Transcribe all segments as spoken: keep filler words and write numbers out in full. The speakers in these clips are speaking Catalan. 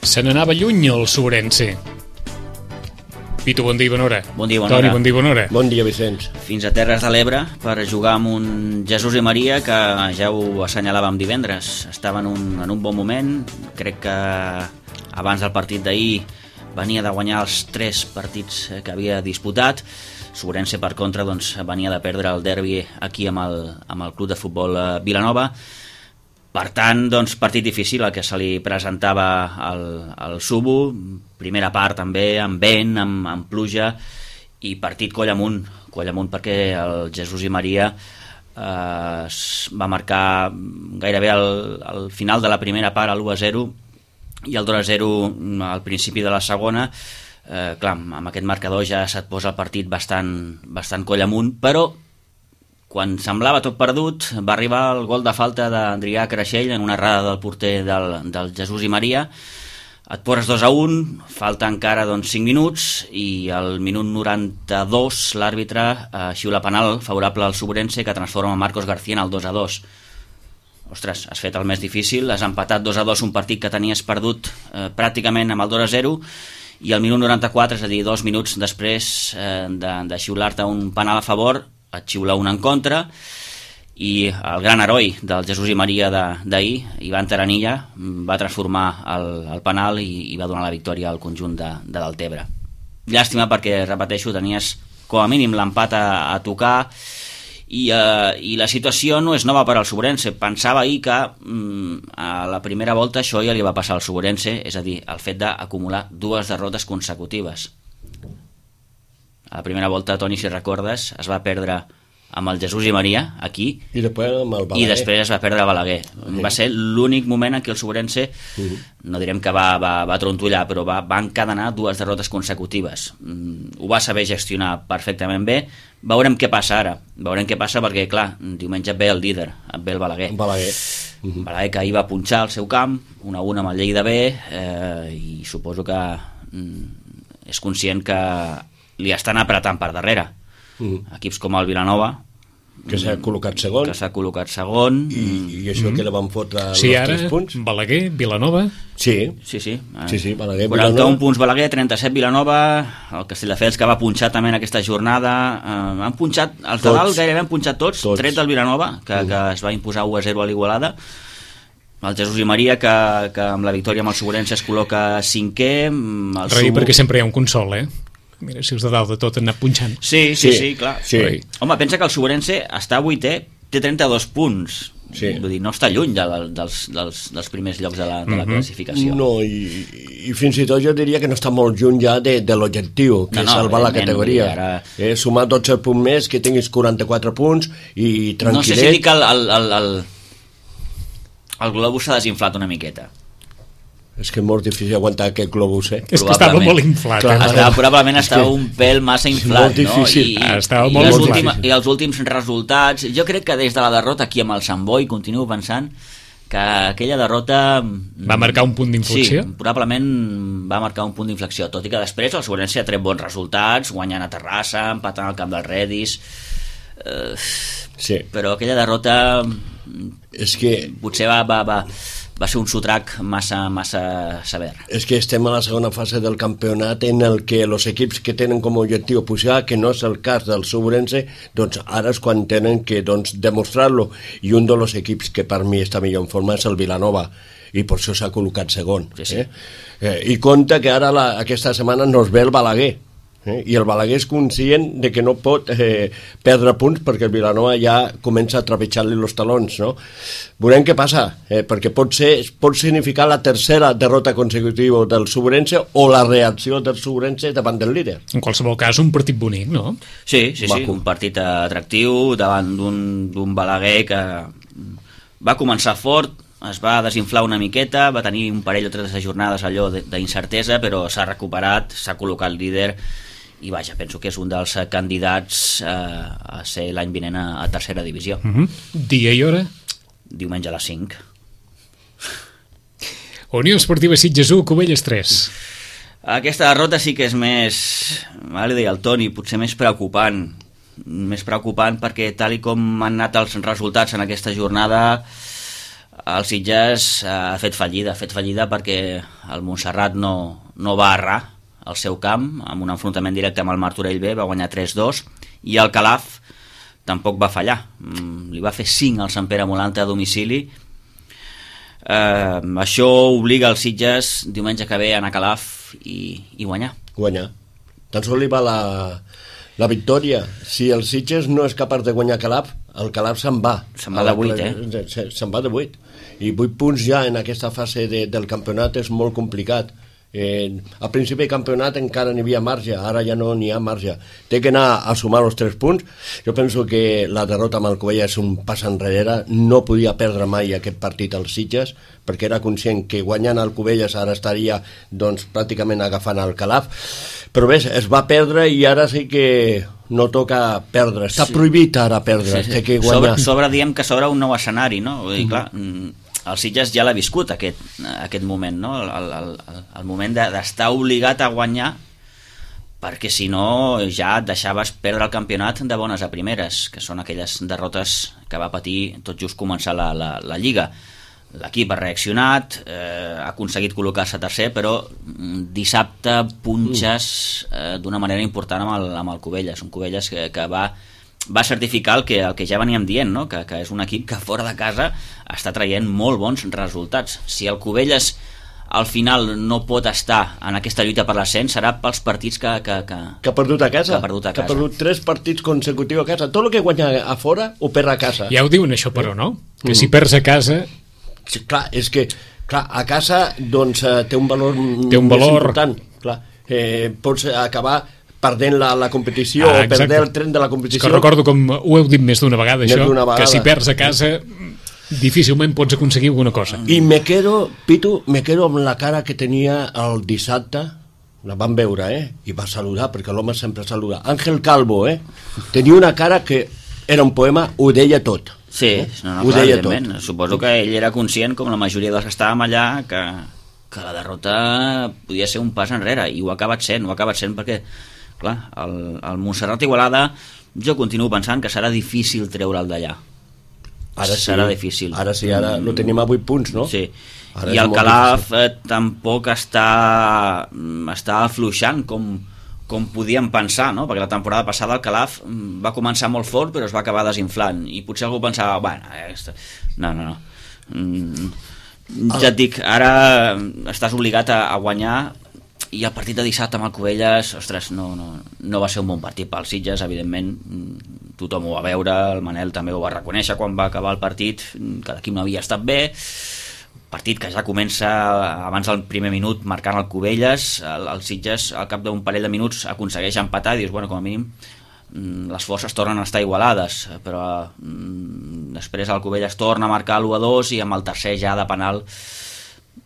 Se n'anava lluny el Sobrense. Pitu, bon dia i bona hora. Bon dia, bona Toni, hora. bon dia i bona hora. Bon dia, Vicenç. Fins a Terres de l'Ebre per jugar amb un Jesús i Maria que ja ho assenyalàvem divendres. Estava en un, en un bon moment. Crec que abans del partit d'ahir venia de guanyar els tres partits que havia disputat. Sobrense, per contra, doncs, venia de perdre el derbi aquí amb el, amb el club de futbol Vilanova. Per tant, doncs, partit difícil el que se li presentava al, al Subo, primera part també, amb vent, amb, amb pluja, i partit coll amunt, coll amunt perquè el Jesús i Maria eh, va marcar gairebé al, al final de la primera part l'u a zero i el dos a zero al principi de la segona. Eh, clar, amb aquest marcador ja se't posa el partit bastant, bastant coll amunt, però quan semblava tot perdut va arribar el gol de falta d'Adrià Creixell en una errada del porter del, del Jesús i Maria. Et poses dos a un, falta encara doncs, cinc minuts i al minut noranta-dos l'àrbitre eh, xiula penal favorable al Sobrense que transforma Marcos García en el dos a dos. Ostres, has fet el més difícil, has empatat dos a dos un partit que tenies perdut eh, pràcticament amb el dos a zero i al minut noranta-quatre, és a dir, dos minuts després eh, de, de xiular-te un penal a favor, et xiula un en contra i el gran heroi del Jesús i Maria d'ahir, Ivan Taranilla, va transformar el, el penal i, i va donar la victòria al conjunt de, de Deltebre. Llàstima perquè, repeteixo, tenies com a mínim l'empat a, a tocar i, eh, i la situació no és nova per al Sobrense. Pensava ahir que mm, a la primera volta això ja li va passar al Sobrense, és a dir, el fet d'acumular dues derrotes consecutives. A la primera volta, Toni, si recordes, es va perdre amb el Jesús i Maria, aquí, i després amb el Balaguer. I després es va perdre a Balaguer. Sí. Va ser l'únic moment en què el Sobrense, uh-huh. no direm que va, va, va trontollar, però va, va encadenar dues derrotes consecutives. Mm, ho va saber gestionar perfectament bé. Veurem què passa ara. Veurem què passa perquè, clar, diumenge ve el líder, ve el Balaguer. Balaguer. Uh-huh. Balaguer que ahir va punxar al seu camp, un a un amb el Lleida B, eh, i suposo que mm, és conscient que li estan apretant per darrere. Mm. Equips com el Vilanova que s'ha col·locat segon que s'ha col·locat segon i, i això mm. que la van fotre sí, els ara, tres punts Balaguer, Vilanova sí, sí, sí, sí, sí Balaguer, quaranta-un Vilanova. punts Balaguer, trenta-set Vilanova, el Castelldefels que va punxar també en aquesta jornada, eh, han punxat els de dalt, gairebé han punxat tots, tots. tret del Vilanova que, mm. que es va imposar u a zero a l'Igualada, el Jesús i Maria que, que amb la victòria amb el Sobrense es col·loca cinquè, el Rei, Subo... perquè sempre hi ha un consol, eh? Mira, si els de dalt de tot han anat punxant. Sí, sí, sí, sí clar. Sí. Home, pensa que el Sobrense està vuitè, té trenta-dos punts. Sí. Vull dir, no està lluny de, dels, dels, dels primers llocs de la, de la mm-hmm. classificació. No, i, i fins i tot jo diria que no està molt lluny ja de, de l'objectiu, que no, no, és salvar la categoria. Ara... Eh, sumar dotze punts més, que tinguis quaranta-quatre punts i tranquil·let. No sé si dic el, el, el, el, el globus s'ha desinflat una miqueta. És que és molt difícil aguantar aquest globus, eh? És que estava molt inflat. Clar, eh? estava, probablement estava un pèl massa inflat, no? I, ah, estava i, molt les inflat. última, I els últims resultats... Jo crec que des de la derrota aquí amb el Sant Boi continuo pensant que aquella derrota... Va marcar un punt d'inflexió? Sí, probablement va marcar un punt d'inflexió, tot i que després el Sobrense ha tret bons resultats, guanyant a Terrassa, empatant al camp del Redis... Eh, sí. Però aquella derrota... És que... Potser va... va, va va ser un sotrac massa, massa sever. És que estem a la segona fase del campionat en el que els equips que tenen com a objectiu pujar, que no és el cas del Sobrense, doncs ara és quan tenen que doncs, demostrar-lo. I un dels equips que per mi està millor en forma és el Vilanova, i per això s'ha col·locat segon. Sí, sí. Eh? Eh, I compte que ara la, aquesta setmana nos ve el Balaguer. Eh? I el Balaguer és conscient de que no pot eh, perdre punts perquè el Vilanova ja comença a trepitjar-li els talons, no? Veurem què passa, eh? perquè pot, ser, pot significar la tercera derrota consecutiva del Sobrense o la reacció del Sobrense davant del líder. En qualsevol cas, un partit bonic, no? Sí, sí, sí, un partit atractiu davant d'un Balaguer que va començar fort, es va desinflar una miqueta, va tenir un parell o tres jornades allò d'incertesa, però s'ha recuperat, s'ha col·locat líder i vaja, penso que és un dels candidats eh, a ser l'any vinent a, a tercera divisió. Uh-huh. Dia i hora? Diumenge a les cinc. Unió Esportiva Sitges u, Cubelles tres. Aquesta derrota sí que és més, ara li deia el Toni, potser més preocupant, més preocupant perquè tal i com han anat els resultats en aquesta jornada el Sitges ha fet fallida, ha fet fallida perquè el Montserrat no, no va errar al seu camp, amb un enfrontament directe amb el Martorell B, va guanyar tres dos, i el Calaf tampoc va fallar, li va fer cinc al Sant Pere Molanta a domicili. Eh, això obliga el Sitges diumenge que ve a anar a Calaf i, i guanyar. Guanyar. Tan sols li va la, la victòria. Si el Sitges no és capaç de guanyar Calaf, el Calaf se'n va. Se'n va de vuit, eh? Se'n va de vuit. I vuit punts ja en aquesta fase de, del campionat és molt complicat. Eh, al principi del campionat encara n'hi havia marge, ara ja no n'hi ha marge, té que anar a sumar els tres punts. Jo penso que la derrota amb el Covella és un pas enrere, no podia perdre mai aquest partit als Sitges perquè era conscient que guanyant el Covelles ara estaria doncs, pràcticament agafant el Calaf, però bé, es va perdre i ara sí que no toca perdre, està sí. prohibit ara perdre, sí, sí. Té que guanyar. Sobre, sobre diem que s'obre un nou escenari, no? Vull dir, clar, el Sitges ja l'ha viscut aquest, aquest moment, no? el, el, el, el moment d'estar obligat a guanyar, perquè si no ja et deixaves perdre el campionat de bones a primeres, que són aquelles derrotes que va patir tot just començar la, la, la Lliga. L'equip ha reaccionat, eh, ha aconseguit col·locar-se tercer, però dissabte punxes eh, d'una manera important amb el, amb el Covelles, un Covelles que, que va va certificar el que, el que ja veníem dient, no? que, que és un equip que fora de casa està traient molt bons resultats. Si el Covelles al final no pot estar en aquesta lluita per l'ascens, serà pels partits que, que, que, que ha perdut a casa, que ha perdut, a que casa. ha perdut tres partits consecutius a casa. Tot el que guanya a fora ho perd a casa. Ja ho diuen això, però, no? Que si perds a casa... Sí, clar, és que clar, a casa doncs, té un valor, té un valor... més important. Clar. Eh, pots acabar perdent la, la competició ah, o perdent el tren de la competició. És que recordo com ho heu dit més d'una vegada, més això, vegada. Que si perds a casa difícilment pots aconseguir alguna cosa. I me quedo, Pitu, me quedo amb la cara que tenia el dissabte, la vam veure, eh? I va saludar, perquè l'home sempre saluda. Àngel Calvo, eh? Tenia una cara que era un poema, ho deia tot. Sí, no, no, clar, evidentment. Suposo que ell era conscient, com la majoria dels que estàvem allà, que, que la derrota podia ser un pas enrere, i ho ha acabat sent, ho ha acabat sent perquè clar, el, el Montserrat Igualada jo continuo pensant que serà difícil treure'l d'allà. Ara sí, serà difícil. Ara sí, ara lo tenim a vuit punts, no? Sí. Ara i el Calaf eh, tampoc està està afluixant com, com podíem pensar, no? Perquè la temporada passada el Calaf va començar molt fort però es va acabar desinflant i potser algú pensava, bueno, eh, no, no, no. Mm, ja et dic, ara estàs obligat a, a guanyar. I el partit de dissabte amb el Covelles, ostres, no, no, no va ser un bon partit pel Sitges, evidentment, tothom ho va veure, el Manel també ho va reconèixer quan va acabar el partit, que l'equip no havia estat bé, partit que ja comença abans del primer minut marcant el Covelles, el, el Sitges al cap d'un parell de minuts aconsegueix empatar i dius, bueno, com a mínim les forces tornen a estar igualades, però mm, després el Covelles torna a marcar l'u a dos i amb el tercer ja de penal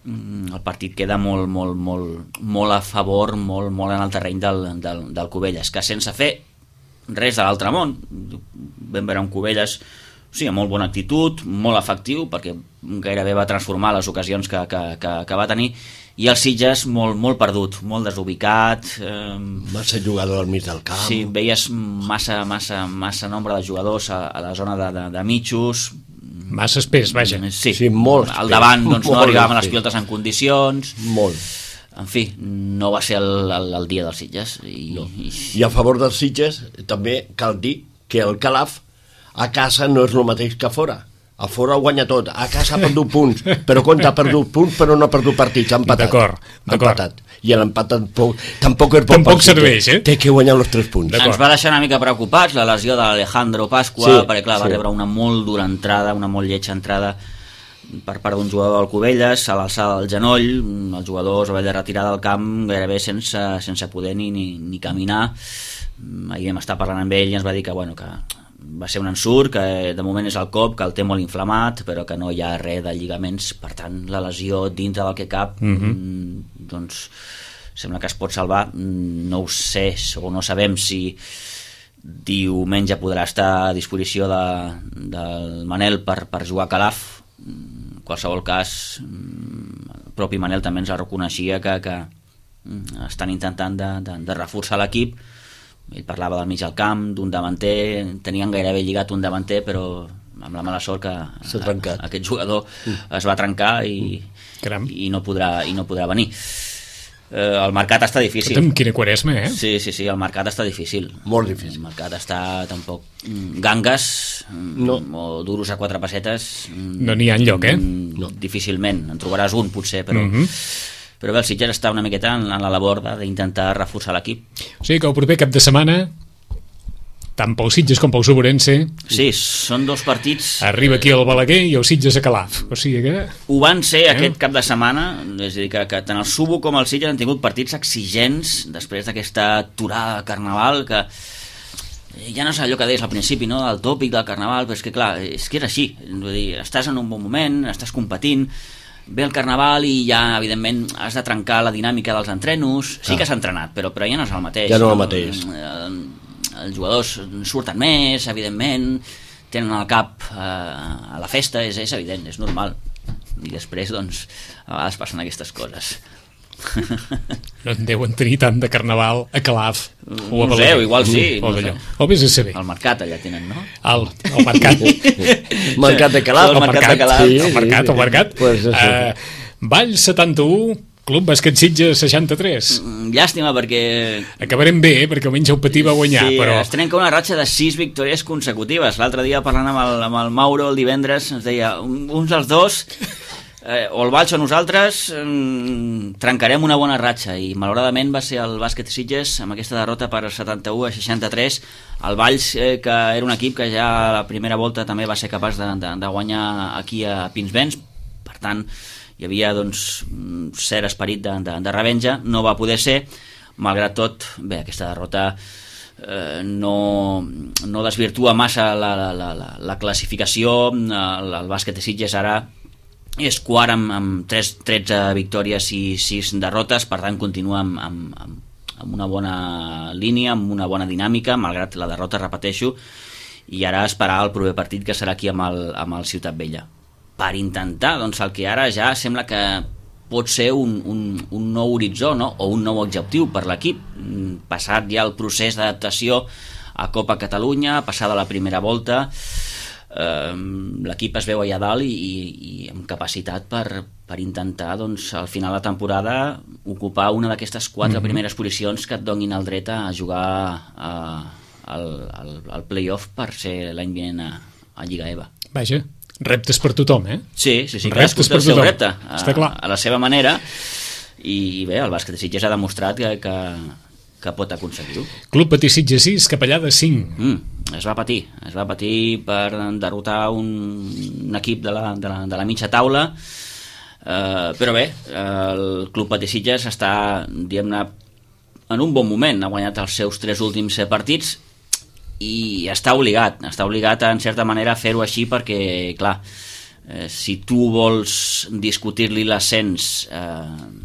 el partit queda molt, molt, molt, molt a favor, molt, molt en el terreny del, del, del Covelles, que sense fer res de l'altre món. Vam veure un Covelles sí, amb molt bona actitud, molt efectiu, perquè gairebé va transformar les ocasions que, que, que, que va tenir, i el Sitges molt, molt perdut, molt desubicat. Eh, massa jugador al mig del camp. Sí, veies massa, massa, massa nombre de jugadors a, a la zona de, de, de mitjos, massa espès, vaja. Sí, sí molt al davant doncs, no arribaven les pilotes en condicions. Molt. En fi, no va ser el, el, el dia dels Sitges. I, no. i... I a favor dels Sitges també cal dir que el Calaf a casa no és el mateix que a fora. A fora guanya tot, a casa ha perdut punts, però compte, ha perdut punts però no ha perdut partits, ha empatat. D'acord, d'acord. Empatat. I l'empat tampoc, tampoc és bon tampoc partit, serveix, eh? Té que guanyar els tres punts. Ens va deixar una mica preocupats la lesió de l'Alejandro Pasqua, sí, perquè clar, va sí. rebre una molt dura entrada, una molt lletja entrada per part d'un jugador del Covelles, a l'alçada del genoll, el jugador es va haver de retirar del camp gairebé sense, sense poder ni, ni, ni caminar. Ahir vam estar parlant amb ell i ens va dir que, bueno, que va ser un ensurt, que de moment és el cop, que el té molt inflamat, però que no hi ha res de lligaments, per tant la lesió dintre del que cap mm-hmm. doncs sembla que es pot salvar. No ho sé, o no sabem si diumenge podrà estar a disposició de, del Manel per, per jugar a Calaf. En qualsevol cas el propi Manel també ens reconeixia que, que estan intentant de, de, de reforçar l'equip. Ell parlava del mig al camp, d'un davanter, tenien gairebé lligat un davanter, però amb la mala sort que S'ha trencat. a, aquest jugador es va trencar i, Caram. i, no, podrà, i no podrà venir. Eh, el mercat està difícil. Escolta'm, quina quaresma, eh? Sí, sí, sí, el mercat està difícil. Molt difícil. El mercat està tampoc... mm, Gangues mm, No. o duros a quatre pessetes... mm, No n'hi ha enlloc, eh? mm, No. Difícilment. En trobaràs un, potser, però... Mhm. Però bé, el Sitges està una miqueta en, en la labor de- d'intentar reforçar l'equip. O sigui que el proper cap de setmana, tant pel Sitges com pel Suburense, Sí, són dos partits... arriba aquí el Balaguer i el Sitges a Calaf. O sigui que... Ho van ser Eh? aquest cap de setmana, és a dir, que, que tant el Subo com el Sitges han tingut partits exigents després d'aquesta aturada de Carnaval, que ja no és allò que deies al principi, no?, del tòpic del Carnaval, però és que clar, és que és així, vull dir, estàs en un bon moment, estàs competint, ve el Carnaval i ja, evidentment, has de trencar la dinàmica dels entrenos, sí que s'ha entrenat, però, però ja no és el mateix. Ja no és el mateix. Eh, Els jugadors surten més, evidentment, tenen el cap eh, a la festa, és, és evident, és normal. I després, doncs, a vegades passen aquestes coses. No en deuen tenir tant de Carnaval a Calaf o a No sé, Balaguer. igual sí, O no d'allò. sé. O vés a saber. El mercat allà tenen, no? El, el mercat. Mercat de Calaf. El mercat de Calaf. Sí, el mercat, el mercat. Pues això. Uh, Vall setanta-u, Club Bàsquet Sitges seixanta-tres. Mm, Llàstima, perquè... Acabarem bé, eh? Perquè almenys el Patí va guanyar, sí, però... es trenca una ratxa de sis victòries consecutives. L'altre dia, parlant amb el, amb el Mauro el divendres, ens deia, un- uns dels dos, eh, o el Valls o nosaltres, mm, trencarem una bona ratxa, i malauradament va ser el Bàsquet Sitges amb aquesta derrota per setanta-u a seixanta-tres. El Valls, eh, que era un equip que ja a la primera volta també va ser capaç de, de, de guanyar aquí a Pinsbens, per tant hi havia doncs un cert esperit de, de, de revenja, no va poder ser. Malgrat tot, bé, aquesta derrota eh, no, no desvirtua massa la, la, la, la, la classificació. El, el bàsquet de Sitges ara és quart amb, amb tres, tretze victòries i sis derrotes, per tant continua amb, amb, amb, amb una bona línia, amb una bona dinàmica, malgrat la derrota, repeteixo, i ara esperar el proper partit, que serà aquí amb el, amb el Ciutat Vella, per intentar, doncs, el que ara ja sembla que pot ser un, un, un nou horitzó, no?, o un nou objectiu per l'equip, passat ja el procés d'adaptació a Copa Catalunya, passada la primera volta. eh, l'equip es veu allà dalt i, i, i amb capacitat per, per intentar, doncs, al final de la temporada ocupar una d'aquestes quatre mm-hmm. primeres posicions que et donin el dret a jugar a, al, al, al play-off per ser l'any vinent a, a Lliga EVA. Vaja, reptes per tothom, eh? Sí, sí, sí, Reptes cadascú té per el seu tothom. repte a, Està clar. a la seva manera, i bé, el bàsquet de Sitges ha demostrat que, que, que pot aconseguir-ho. Club Patí Sitges sis, Capellà de cinc. Mm, es va patir, es va patir per derrotar un, un equip de la, de la, de la mitja taula, eh, però bé, el Club Patí Sitges està, diguem-ne, en un bon moment, ha guanyat els seus tres últims partits i està obligat, està obligat en certa manera a fer-ho així, perquè, clar, eh, si tu vols discutir-li l'ascens eh,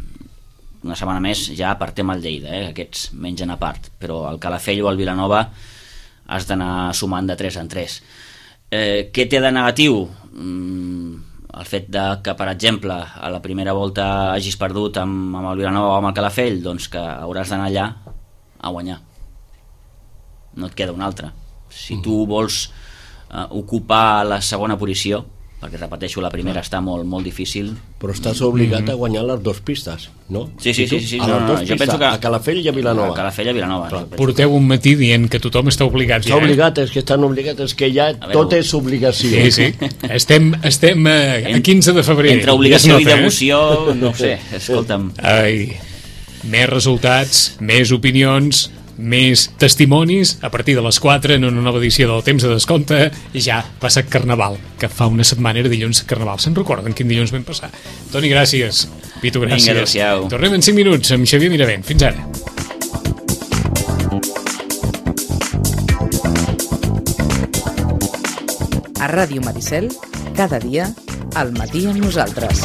una setmana més, ja apartem el Lleida, eh, aquests mengen a part, però el Calafell o el Vilanova has d'anar sumant de tres en tres. Eh, què té de negatiu? Mm, el fet de que, per exemple, a la primera volta hagis perdut amb, amb el Vilanova o amb el Calafell, doncs que hauràs d'anar allà a guanyar. No et queda una altra. Si tu vols eh, ocupar la segona posició, perquè repeteixo, la primera està molt, molt difícil. Però estàs obligat a guanyar les dues pistes, no? Sí, sí, sí, sí, sí. A No, les no, dues jo pistes, penso que- a Calafell i a Vilanova. A Calafell i a Vilanova. Clar. Jo penso Porteu un matí dient que tothom està obligat. Està Ja, eh? obligat, és que estan obligats, és que ja veure, tot és obligació. Sí, sí. Estem, estem a, a quinze de febrer. Entre obligació Ja es i nota, eh? devoció, no ho sé, escolta'm. Ai, més resultats, més opinions, més testimonis a partir de les quatre en una nova edició del Temps de Descompte. Ja passa Carnaval, que fa una setmana era dilluns Carnaval. Se'n recorden quin dilluns vam passar? Toni, gràcies. Pitu, gràcies. Vinga, adéu-siau. Tornem en cinc minuts amb Xavier Miravent. Fins ara. A Ràdio Maricel, cada dia, al matí amb nosaltres.